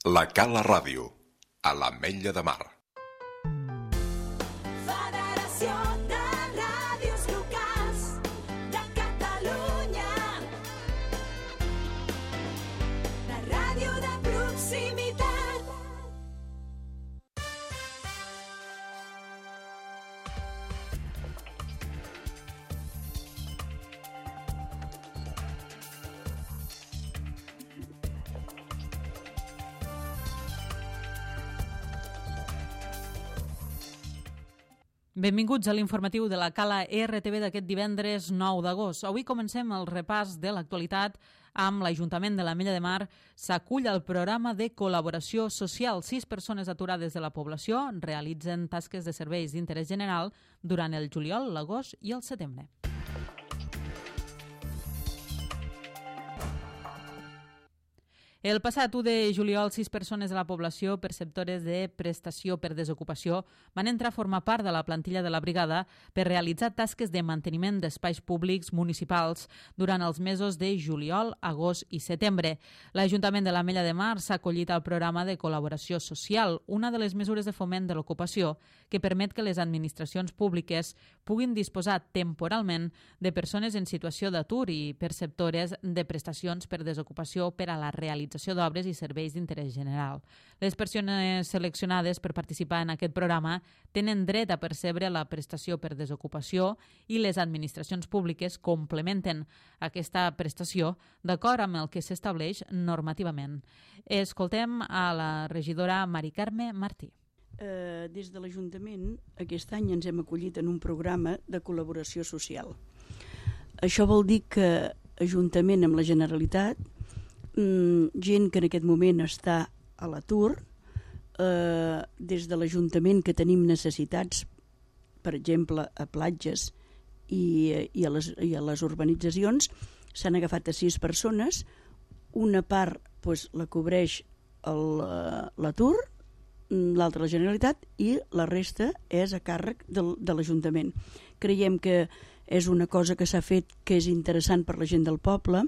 La Cala Ràdio, a l'Ametlla de Mar. Federació de Ràdios Locals de Catalunya. La ràdio de proximitat. Benvinguts a l'informatiu de la Cala RTV d'aquest divendres 9 d'agost. Avui comencem el repàs de l'actualitat amb l'Ajuntament de l'Ametlla de Mar. S'acull al programa de col·laboració social. 6 persones aturades de la població realitzen tasques de serveis d'interès general durant el juliol, l'agost i el setembre. El passat 1 de juliol, 6 persones de la població perceptores de prestació per desocupació van entrar a formar part de la plantilla de la brigada per realitzar tasques de manteniment d'espais públics municipals durant els mesos de juliol, agost i setembre. L'Ajuntament de l'Ametlla de Mar s'ha acollit al programa de col·laboració social, una de les mesures de foment de l'ocupació que permet que les administracions públiques puguin disposar temporalment de persones en situació d'atur i perceptores de prestacions per desocupació per a la realització d'obres i serveis d'interès general. Les persones seleccionades per participar en aquest programa tenen dret a percebre la prestació per desocupació i les administracions públiques complementen aquesta prestació d'acord amb el que s'estableix normativament. Escoltem a la regidora Mari Carme Martí. Des de l'Ajuntament aquest any ens hem acollit en un programa de col·laboració social. Això vol dir que Ajuntament amb la Generalitat, gent que en aquest moment està a l'atur, des de l'Ajuntament que tenim necessitats, per exemple, a platges i a les urbanitzacions, s'han agafat a 6 persones, una part la cobreix l'atur, l'altra la Generalitat i la resta és a càrrec de l'Ajuntament. Creiem que és una cosa que s'ha fet que és interessant per la gent del poble,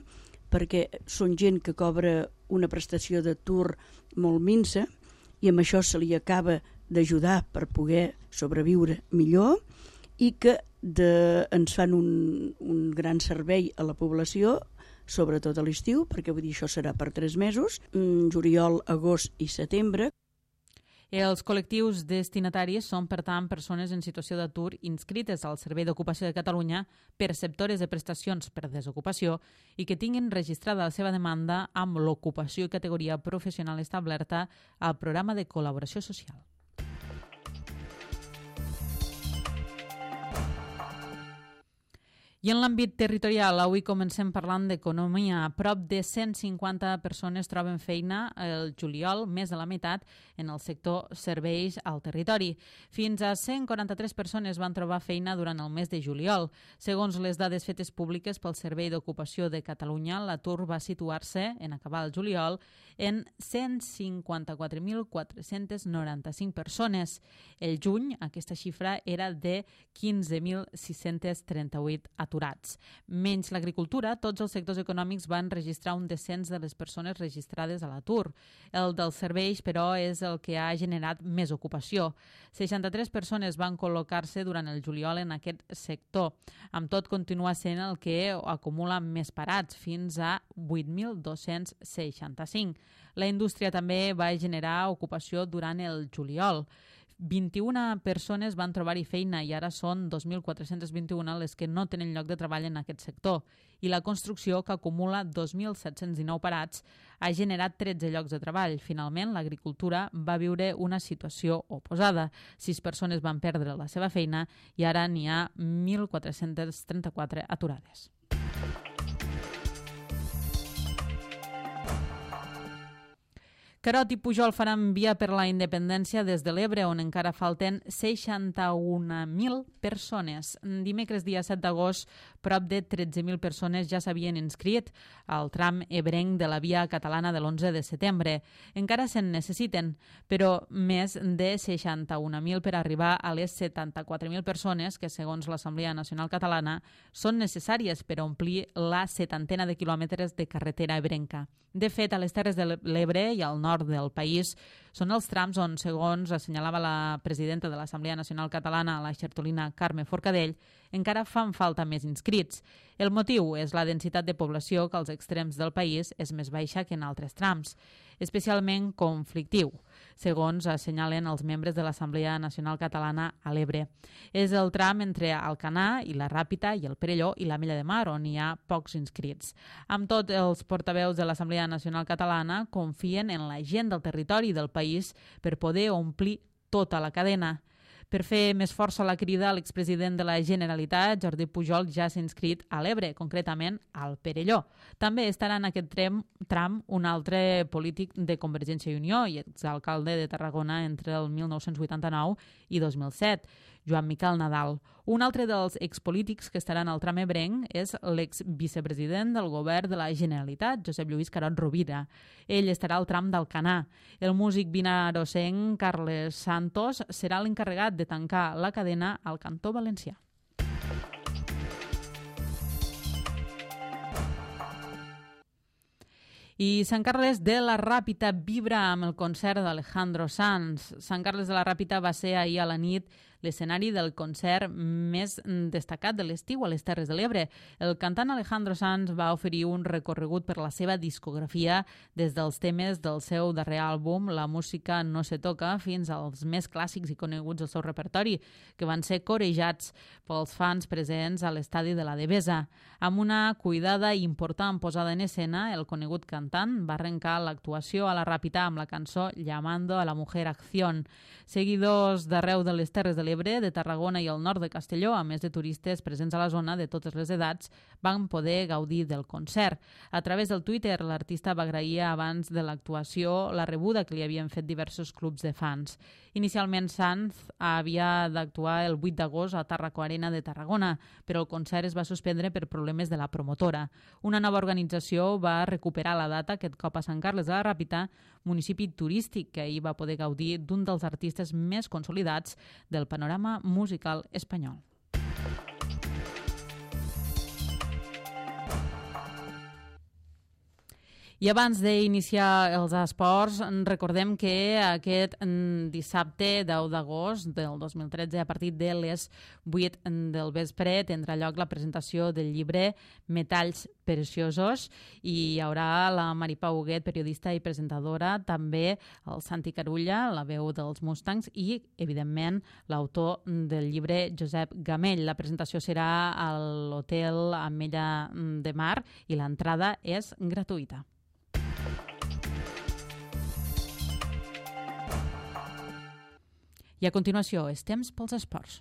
perquè són gent que cobra una prestació d'atur molt minsa i amb això se li acaba d'ajudar per poder sobreviure millor i que ens fan un gran servei a la població, sobretot a l'estiu, perquè vull dir això serà per 3 mesos, juliol, agost i setembre. Els col·lectius destinataris són, per tant, persones en situació d'atur inscrites al Servei d'Ocupació de Catalunya, perceptores de prestacions per desocupació i que tinguin registrada la seva demanda amb l'ocupació i categoria professional establerta al programa de col·laboració social. I en l'àmbit territorial, avui comencem parlant d'economia. A prop de 150 persones troben feina el juliol, més de la meitat, en el sector serveis al territori. Fins a 143 persones van trobar feina durant el mes de juliol. Segons les dades fetes públiques pel Servei d'Ocupació de Catalunya, l'atur va situar-se, en acabar el juliol, en 154.495 persones. El juny, aquesta xifra era de 15.638 aturats. Menys l'agricultura, tots els sectors econòmics van registrar un descens de les persones registrades a l'atur. El dels serveis, però, és el que ha generat més ocupació. 63 persones van col·locar-se durant el juliol en aquest sector. Amb tot, continua sent el que acumula més parats, fins a 8.265. La indústria també va generar ocupació durant el juliol. 21 persones van trobar-hi feina i ara són 2.421 les que no tenen lloc de treball en aquest sector. I la construcció, que acumula 2.719 parats, ha generat 13 llocs de treball. Finalment, l'agricultura va viure una situació oposada. 6 persones van perdre la seva feina i ara n'hi ha 1.434 aturades. Carot i Pujol faran via per la independència des de l'Ebre, on encara falten 61.000 persones. Dimecres, dia 7 d'agost, prop de 13.000 persones ja s'havien inscrit al tram ebrenc de la via catalana de l'11 de setembre. Encara se'n necessiten, però més de 61.000 per arribar a les 74.000 persones que, segons l'Assemblea Nacional Catalana, són necessàries per omplir la 70ena de quilòmetres de carretera ebrenca. De fet, a les Terres de l'Ebre i al nord nord del país són els trams on, segons assenyalava la presidenta de l'Assemblea Nacional Catalana, la xertolina Carme Forcadell, encara fan falta més inscrits. El motiu és la densitat de població que als extrems del país és més baixa que en altres trams, especialment conflictiu, segons assenyalen els membres de l'Assemblea Nacional Catalana a l'Ebre. És el tram entre Alcanar i la Ràpita i el Perelló i l'Ametlla de Mar, on hi ha pocs inscrits. Amb tot, els portaveus de l'Assemblea Nacional Catalana confien en la gent del territori del país per poder omplir tota la cadena. Per fer més força la crida, l'expresident de la Generalitat, Jordi Pujol, ja s'ha inscrit a l'Ebre, concretament al Perelló. També estarà en aquest tram un altre polític de Convergència i Unió i exalcalde de Tarragona entre el 1989 i 2007, Joan Miquel Nadal. Un altre dels expolítics que estaran al tram ebrenc és l'exvicepresident del govern de la Generalitat, Josep Lluís Carod Rovira. Ell estarà al tram d'Alcanar. El músic vinarosenc Carles Santos serà l'encarregat de tancar la cadena al cantó valencià. I Sant Carles de la Ràpita vibra amb el concert d'Alejandro Sanz. Sant Carles de la Ràpita va ser ahir a la nit l'escenari del concert més destacat de l'estiu a les Terres de l'Ebre. El cantant Alejandro Sanz va oferir un recorregut per la seva discografia des dels temes del seu darrer àlbum, La música no se toca, fins als més clàssics i coneguts del seu repertori, que van ser corejats pels fans presents a l'estadi de la Devesa. Amb una cuidada i important posada en escena, el conegut cantant va arrencar l'actuació a la Ràpita amb la cançó Llamando a la mujer acción. Seguidors d'arreu de les Terres de l'Ebre, de Tarragona i el nord de Castelló, a més de turistes presents a la zona de totes les edats, van poder gaudir del concert. A través del Twitter, l'artista va agrair abans de l'actuació la rebuda que li havien fet diversos clubs de fans. Inicialment, Sanz havia d'actuar el 8 d'agost a Tarraco Arena de Tarragona, però el concert es va suspendre per problemes de la promotora. Una nova organització va recuperar la data aquest cop a Sant Carles de la Ràpita, municipi turístic que ahir va poder gaudir d'un dels artistes més consolidats del panorama musical espanyol. I abans d'iniciar els esports, recordem que aquest dissabte 10 d'agost del 2013, a partir de les 8 del vespre, tindrà lloc la presentació del llibre Metalls Preciosos i hi haurà la Mari Pau Huguet, periodista i presentadora, també el Santi Carulla, la veu dels Mustangs i, evidentment, l'autor del llibre, Josep Gamell. La presentació serà a l'Hotel Ametlla de Mar i l'entrada és gratuïta. I a continuació, és temps pels esports.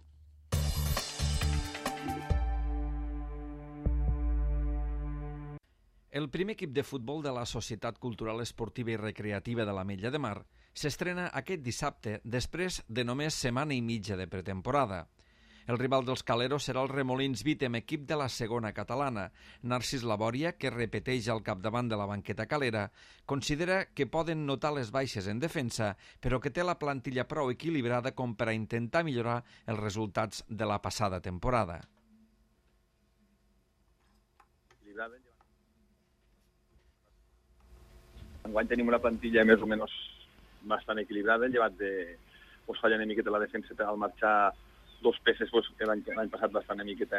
El primer equip de futbol de la Societat Cultural Esportiva i Recreativa de l'Ametlla de Mar s'estrena aquest dissabte després de només setmana i mitja de pretemporada. El rival dels Caleros serà el Remolins Vítem, equip de la segona catalana. Narcís Labòria, que repeteix al capdavant de la banqueta calera, considera que poden notar les baixes en defensa, però que té la plantilla prou equilibrada com per a intentar millorar els resultats de la passada temporada. Enguany tenim una plantilla més o menys bastant equilibrada, llevat de falla una miqueta la defensa al marxar dos peces que l'any passat bastant una miqueta,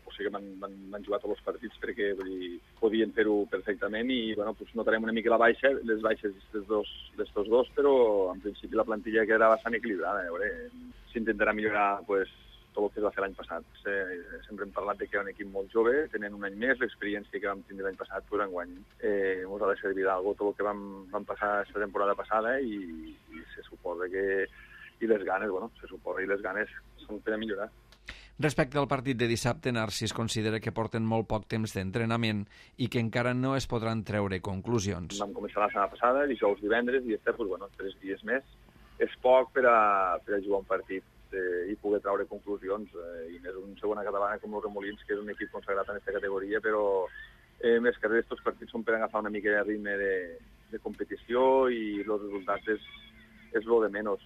o sigui que van jugar tots els partits perquè podien fer-ho perfectament i notarem una mica les baixes d'estos dos, però en principi la plantilla quedarà bastant equilibrada. S'intentarà millorar tot el que es va fer l'any passat. Sempre hem parlat que era un equip molt jove, tenen un any més, l'experiència que vam tindre l'any passat, però enguany ens ha de servir d'algo tot el que vam passar aquesta temporada passada i se suposa que i les ganes, se suposa, i les ganes són per a millorar. Respecte al partit de dissabte, Narcís considera que porten molt poc temps d'entrenament i que encara no es podran treure conclusions. Vam començar la setmana passada, dijous, divendres, i 3 dies més. És poc per a jugar un partit i poder treure conclusions. I més una segona catalana com el Remolins, que és un equip consagrat en aquesta categoria, però més que res, aquests partits són per agafar una mica de ritme de competició i els resultats és lo de menys.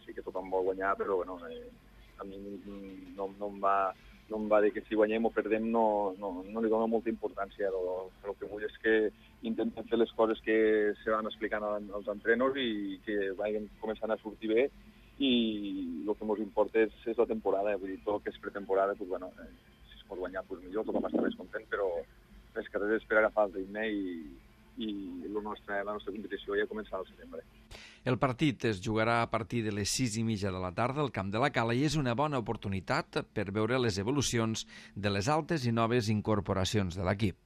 Sí que tothom vol guanyar, però a mi no em va dir que si guanyem o perdem no li dona molta importància. El que vull és que intentem fer les coses que se van explicant als entrenors i que vagin començant a sortir bé, i el que ens importa és la temporada, vull dir, tot el que és pretemporada, doncs, bueno, si es pot guanyar, doncs millor, tothom està més content, però les carreres per agafar el ritme i la nostra competició ja començarà al setembre. El partit es jugarà a partir de les 6:30 de la tarda al Camp de la Cala i és una bona oportunitat per veure les evolucions de les altes i noves incorporacions de l'equip.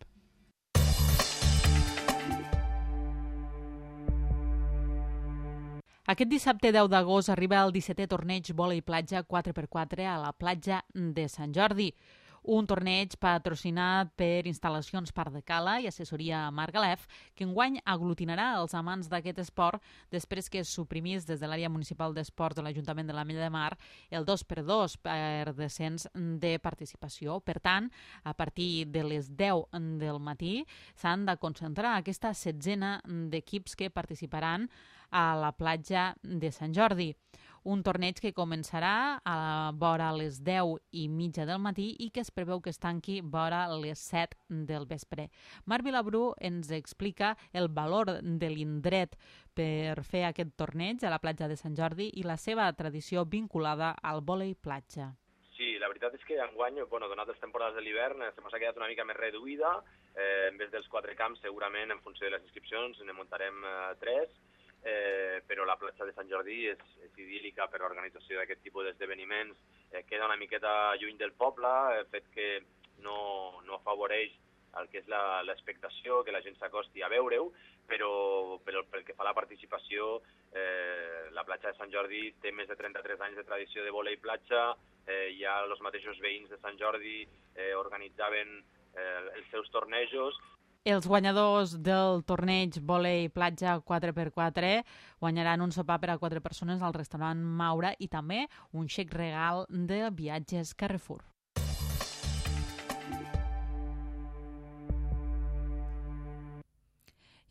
Aquest dissabte 10 d'agost arriba el 17è torneig vòlei platja 4x4 a la platja de Sant Jordi. Un torneig patrocinat per Instal·lacions Parc de Cala i assessoria Margalef, que enguany aglutinarà els amants d'aquest esport després que es suprimís des de l'àrea municipal d'esports de l'Ajuntament de l'Ametlla de Mar el 2x2 per descens de participació. Per tant, a partir de les 10 del matí s'han de concentrar aquesta setzena d'equips que participaran a la platja de Sant Jordi. Un torneig que començarà a vora les 10:30 del matí i que es preveu que es tanqui vora les 7 del vespre. Marc Vilabrú ens explica el valor de l'indret per fer aquest torneig a la platja de Sant Jordi i la seva tradició vinculada al vòlei platja. Sí, la veritat és que enguany, donat les temporades de l'hivern, se m'ha quedat una mica més reduïda. En vez dels 4 camps, segurament, en funció de les inscripcions, ne muntarem 3. Però la platja de Sant Jordi és idíl·lica per l'organització d'aquest tipus d'esdeveniments. Queda una miqueta lluny del poble, el fet que no afavoreix el que és l'expectació, que la gent s'acosti a veure-ho, però pel que fa a la participació, la platja de Sant Jordi té més de 33 anys de tradició de vòlei platja, ja els mateixos veïns de Sant Jordi organitzaven els seus tornejos. Els guanyadors del torneig vòlei platja 4x4 guanyaran un sopar per a 4 persones al restaurant Maura i també un xec regal de viatges Carrefour.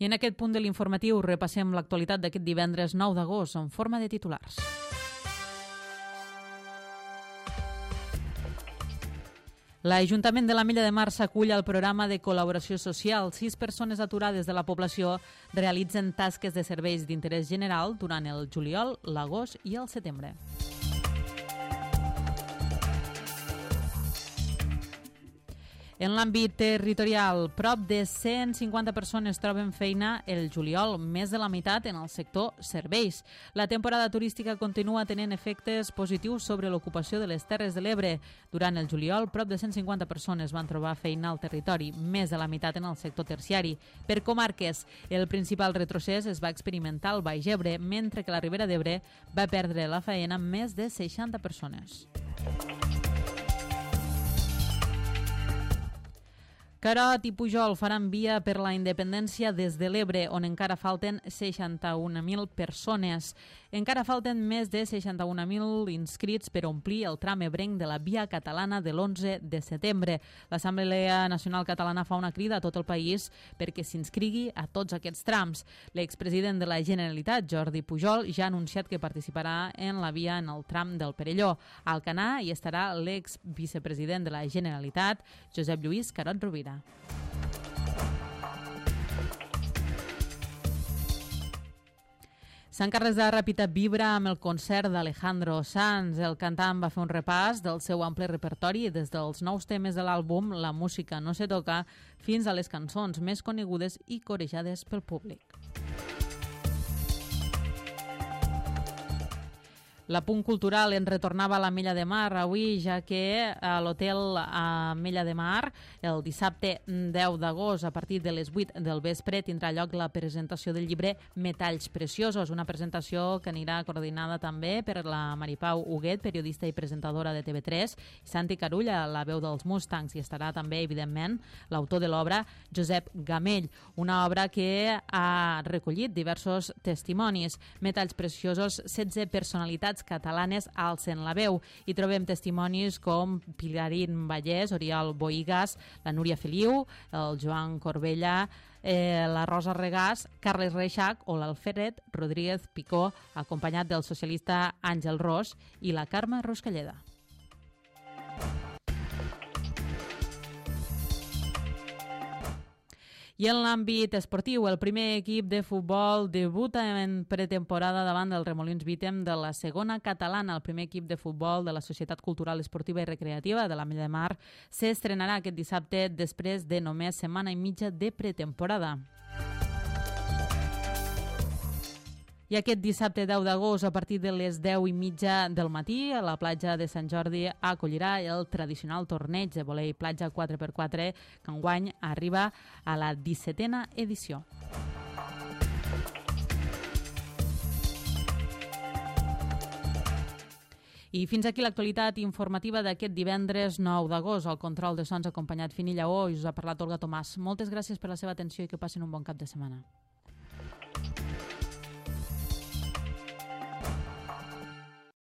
I en aquest punt de l'informatiu repassem l'actualitat d'aquest divendres 9 d'agost en forma de titulars. L'Ajuntament de l'Ametlla de Mar s'acull al programa de col·laboració social. 6 persones aturades de la població realitzen tasques de serveis d'interès general durant el juliol, l'agost i el setembre. En l'àmbit territorial, prop de 150 persones troben feina el juliol, més de la meitat en el sector serveis. La temporada turística continua tenint efectes positius sobre l'ocupació de les Terres de l'Ebre. Durant el juliol, prop de 150 persones van trobar feina al territori, més de la meitat en el sector terciari. Per comarques, el principal retrocés es va experimentar al Baix Ebre, mentre que la Ribera d'Ebre va perdre la feina més de 60 persones. Carot i Pujol faran via per la independència des de l'Ebre, on encara falten 61.000 persones. Encara falten més de 61.000 inscrits per omplir el tram ebrenc de la via catalana de l'11 de setembre. L'Assemblea Nacional Catalana fa una crida a tot el país perquè s'inscrigui a tots aquests trams. L'expresident de la Generalitat, Jordi Pujol, ja ha anunciat que participarà en la via en el tram del Perelló. A Alcanar hi estarà l'exvicepresident de la Generalitat, Josep Lluís Carot Rovira. Sant Carles de Ràpita vibra amb el concert d'Alejandro Sanz. El cantant va fer un repàs del seu ample repertori des dels nous temes de l'àlbum La música no se toca fins a les cançons més conegudes i corejades pel públic. L'apunt cultural en retornava a l'Ametlla de Mar avui, ja que a l'hotel Ametlla de Mar el dissabte 10 d'agost a partir de les 8 del vespre tindrà lloc la presentació del llibre Metalls Preciosos, una presentació que anirà coordinada també per la Maripau Huguet, periodista i presentadora de TV3, i Santi Carulla, la veu dels Mustangs, i estarà també, evidentment, l'autor de l'obra, Josep Gamell, una obra que ha recollit diversos testimonis. Metalls Preciosos, 16 personalitats catalanes alcen la veu. Hi trobem testimonis com Pilarín Vallès, Oriol Boigas, la Núria Feliu, el Joan Corbella, la Rosa Regàs, Carles Reixac o l'Alfred Rodríguez Picó, acompanyat del socialista Àngel Ros i la Carme Ruscalleda. I en l'àmbit esportiu, el primer equip de futbol debuta en pretemporada davant del Remolins Vítem de la segona catalana. El primer equip de futbol de la Societat Cultural, Esportiva i Recreativa de l'Ametlla de Mar s'estrenarà aquest dissabte després de només setmana i mitja de pretemporada. I aquest dissabte 10 d'agost, a partir de les 10:30 del matí, a la platja de Sant Jordi acollirà el tradicional torneig de volei platja 4x4, que enguany arriba a la 17a edició. I fins aquí l'actualitat informativa d'aquest divendres 9 d'agost. El control de sons acompanyat Fini Lleó i us ha parlat Olga Tomàs. Moltes gràcies per la seva atenció i que passin un bon cap de setmana.